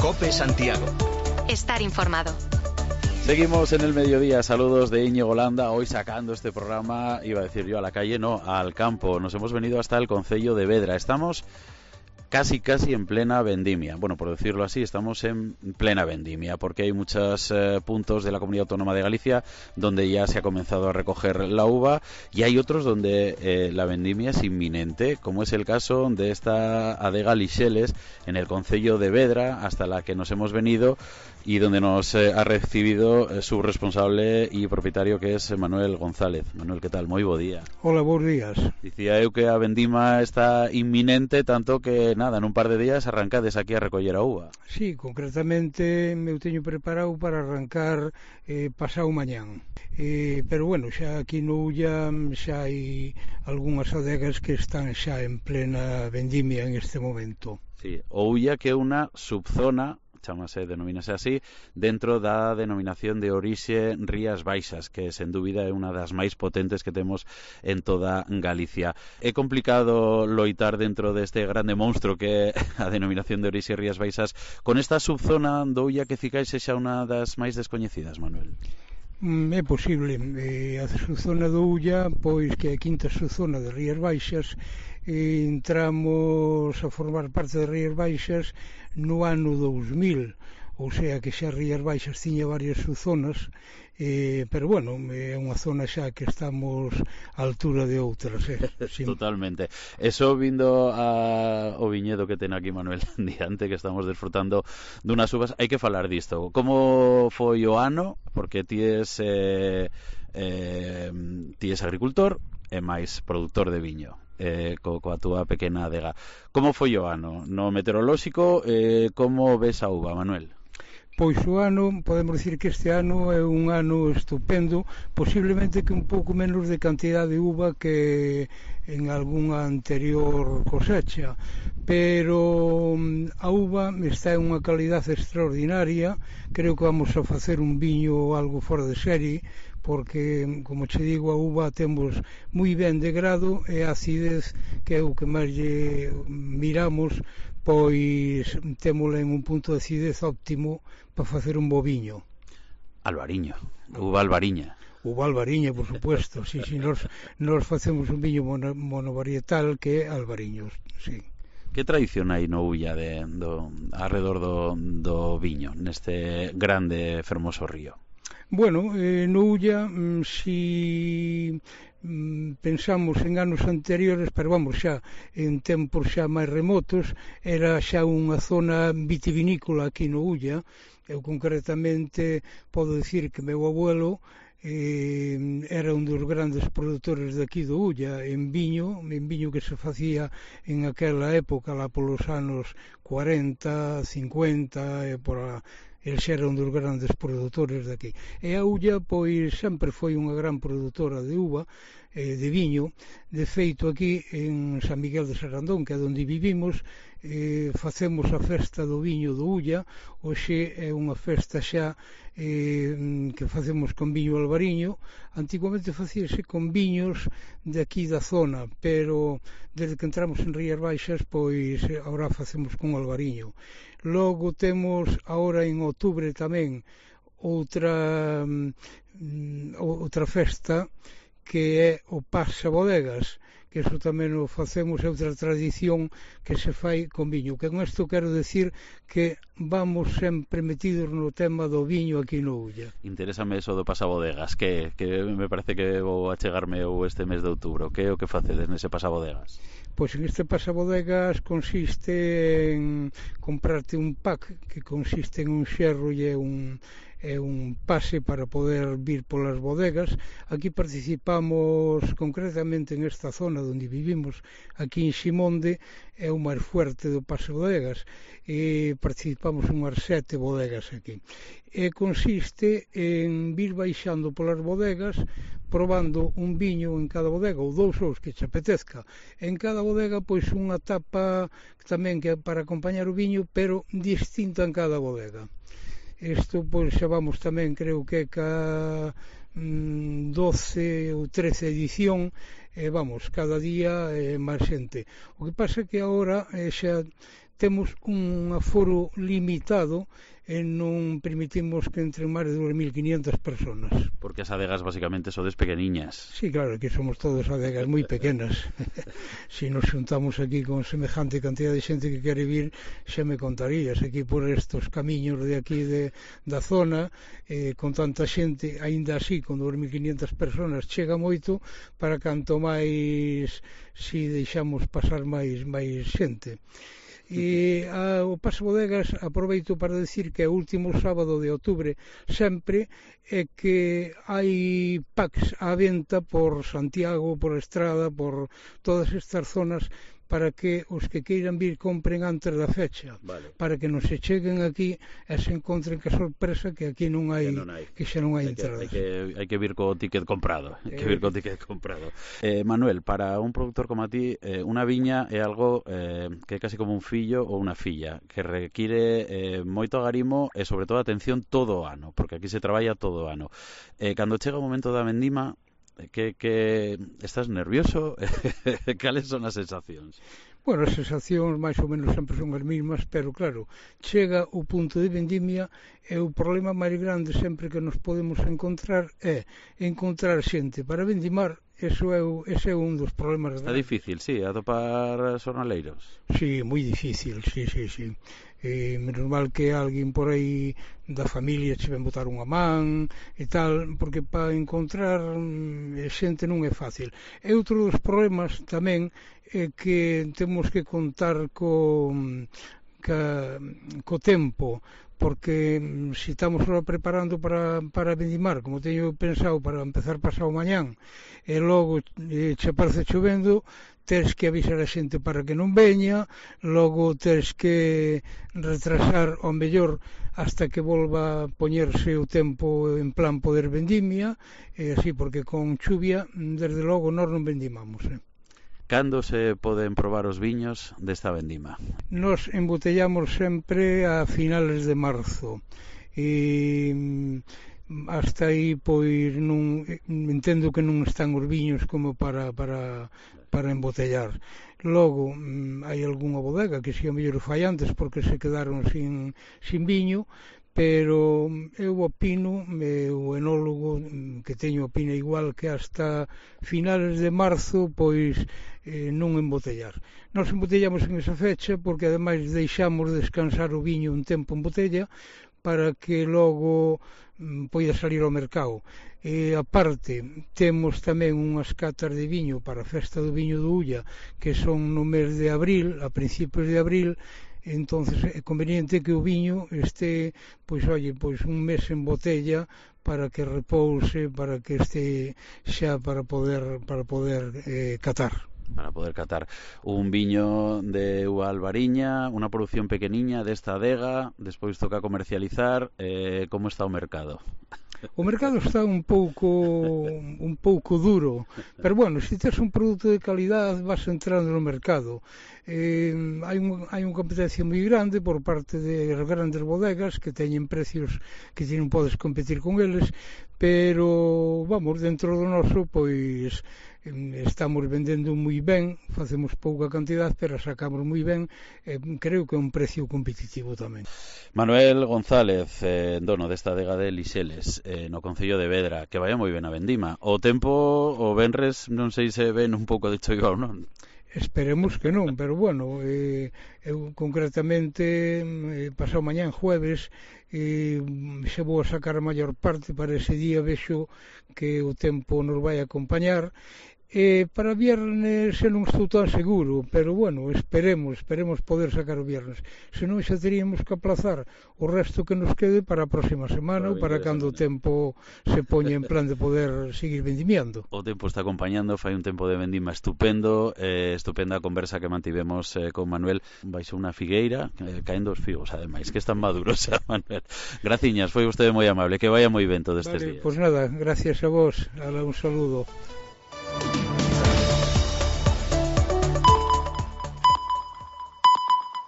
COPE Santiago. Estar informado. Seguimos en el mediodía, saludos de Íñigo Landa, hoy sacando este programa, iba a decir yo a la calle, no, al campo. Nos hemos venido hasta el concello de Vedra, estamos casi en plena vendimia. Bueno, por decirlo así, estamos en plena vendimia, porque hay muchos puntos de la Comunidad Autónoma de Galicia donde ya se ha comenzado a recoger la uva y hay otros donde la vendimia es inminente, como es el caso de esta adega Lixeles en el concello de Vedra, hasta la que nos hemos venido y donde nos ha recibido su responsable y propietario, que es Manuel González. Manuel, ¿qué tal? Moi bo día. Hola, bons días. Dicía eu que a vendima está inminente, tanto que nada, en un par de días arrancades aquí a recoller a uva. Sí, concretamente eu teño preparado para arrancar pasado mañán. Pero bueno, xa aquí no Ulla xa hai algunhas adegas que están xa en plena vendimia en este momento. Sí, o Ulla, que é unha subzona, denomínase así, dentro da denominación de orixe Rías Baixas, que sen dúbida é unha das máis potentes que temos en toda Galicia. É complicado loitar dentro deste grande monstro que é a denominación de orixe Rías Baixas con esta subzona do Ulla que cicais xa unha das máis descoñecidas, Manuel. É posible. A subzona do Ulla, pois que é a quinta subzona de Rías Baixas, entramos a formar parte de Rías Baixas no ano 2000, ou sea que xa Rías Baixas tiña varias subzonas, pero bueno, é unha zona xa que estamos á altura de outras. Sí. Totalmente. Eso vindo ao viñedo que ten aquí Manuel diante, que estamos desfrutando dunhas uvas, hai que falar disto. Como foi o ano? Porque ti es agricultor e máis produtor de viño. Coa túa pequena adega. Como foi o ano? No meteorolóxico, como ves a uva, Manuel? Pois o ano, podemos dicir que este ano é un ano estupendo, posiblemente que un pouco menos de cantidad de uva que en algunha anterior cosecha, pero a uva está en unha calidade extraordinaria. Creo que vamos a facer un viño algo fora de serie, porque, como che digo, a uva temos moi ben de grado e a acidez, que é o que máis lle miramos, pois témola en un punto de acidez óptimo para facer un bo viño. Albariño, uva albariña. Uva albariña, por supuesto, sí, nos facemos un viño monovarietal que é albariño, sí. Que tradición hai no Ulla alrededor do viño, neste grande fermoso río? Bueno, no Ulla, si pensamos en anos anteriores, pero vamos xa en tempos xa máis remotos, era xa unha zona vitivinícola aquí no Ulla. Eu concretamente podo dicir que meu abuelo era un dos grandes produtores de aquí do Ulla en viño que se facía en aquela época, lá polos anos 40, 50, e por a el xa era un dos grandes produtores de aquí. E a Ulla, pois, sempre foi unha gran produtora de uva, de viño. De feito, aquí en San Miguel de Sarandón, que é onde vivimos, facemos a festa do viño do Ulla. Hoxe é unha festa xa que facemos con viño albariño. Antigamente facíase con viños de aquí da zona, pero desde que entramos en Rías Baixas, pois agora facemos con albariño. Logo temos agora en outubro tamén outra festa, que é o Pasabodegas, que iso tamén o facemos, é outra tradición que se fai con viño. Que con isto quero decir que vamos sempre metidos no tema do viño aquí no Ulla. Interésame eso do Pasabodegas, que me parece que vou achegarme este mes de outubro. Que é o que facedes nese Pasabodegas? Pois en este Pasabodegas consiste en comprarte un pack, que consiste en un xerro e un pase para poder vir polas bodegas. Aquí participamos concretamente en esta zona onde vivimos, aquí en Ximonde, é o máis fuerte do Pasabodegas, e participamos en unhas 7 bodegas aquí. E consiste en vir baixando polas bodegas, probando un viño en cada bodega, ou dous os que te apetezca. En cada bodega, pois, unha tapa tamén que é para acompañar o viño, pero distinta en cada bodega. Isto, pois, xa vamos tamén, creo que ca 12 ou 13 edición, vamos, cada día máis xente. O que pasa é que agora xa temos un aforo limitado e non permitimos que entren máis de 2.500 personas. Porque as adegas basicamente sodes pequeniñas. Sí, claro, que somos todos adegas moi pequenas. Se nos xuntamos aquí con semejante cantidad de xente que quere vir, xa me contarías aquí por estos camiños de aquí da zona, con tanta xente, aínda así, con 2.500 personas, chega moito para canto máis si deixamos pasar máis xente. E o Paso Bodegas, aproveito para decir que o último sábado de outubro sempre é que hai packs á venta por Santiago, por Estrada, por todas estas zonas, para que os que queiran vir compren antes da fecha, vale, para que non se cheguen aquí e se encontren que sorpresa que aquí non hai, que xa non hai entradas. Hai que vir co ticket comprado, Manuel, para un productor como a ti, unha viña é algo que é casi como un fillo ou unha filla, que require moito agarimo e sobre todo atención todo o ano, porque aquí se traballa todo o ano. Cando chega o momento da vendima, que estás nervioso? Cales son as sensacións? Bueno, as sensacións máis ou menos sempre son as mesmas, pero claro, chega o punto de vendimia e o problema máis grande sempre que nos podemos encontrar é encontrar xente para vendimar. Ese é un dos problemas. Está difícil, sí, atopar xornaleiros. Sí, moi difícil, sí. Menos mal que alguén por aí da familia che ven botar unha man e tal, porque para encontrar xente non é fácil. E outro dos problemas tamén é que temos que contar co tempo, porque se estamos ahora preparando para vendimar, como teño pensado para empezar pasado mañán, e logo che aparece chovendo, tens que avisar a xente para que non veña, logo tens que retrasar ao mellor hasta que volva a poñerse o tempo en plan poder vendimia, e así, porque con chuvia, desde logo, nós non vendimamos. Cando se poden probar os viños desta vendima? Nos embotellamos sempre a finales de marzo e hasta aí pois non entendo que non están os viños como para embotellar. Logo hai algunha bodega que si a mellor fai antes porque se quedaron sin viño, pero eu opino, o enólogo que teño opina igual, que hasta finales de marzo pois non embotellar. Nós embotellamos en esa fecha porque ademais deixamos descansar o viño un tempo en botella para que logo poida salir ao mercado. E aparte temos tamén unhas catas de viño para a festa do viño do Ulla, que son no mes de abril, a principios de abril. Entonces é conveniente que o viño este pois un mes en botella para que repouse, para que este xa para poder catar. Para poder catar un viño de uva albariña, unha produción pequeniña desta adega, despois toca comercializar. Como está o mercado? O mercado está un pouco duro, pero bueno, se tes un produto de calidad vas entrando no mercado. Hai unha competencia moi grande por parte de grandes bodegas que teñen precios que ti non podes competir con eles, pero vamos, dentro do noso pois estamos vendendo moi ben, facemos pouca cantidad, pero sacamos moi ben, creo que é un precio competitivo tamén. Manuel González, dono desta adega de Lixeles, no concello de Vedra, que vaya moi ben a vendima. O tempo, o venres, non sei se ven un pouco de choiva ou non. Esperemos que non, pero bueno, eu concretamente pasado mañán jueves xa vou a sacar a maior parte para ese día, vexo que o tempo nos vai acompañar. Para viernes non estou tan seguro, pero bueno, esperemos poder sacar o viernes. Senón xa teríamos que aplazar o resto que nos quede para a próxima semana ou para cando o tempo se poña en plan de poder seguir vendimiando. O tempo está acompañando, fai un tempo de vendima estupendo, estupenda a conversa que mantivemos con Manuel baixo unha figueira, caendo os figos, ademais, que están maduros, Manuel. Graciñas, foi vostede moi amable, que vaya moi ben todo estes días. Pois nada, gracias a vos, un saludo.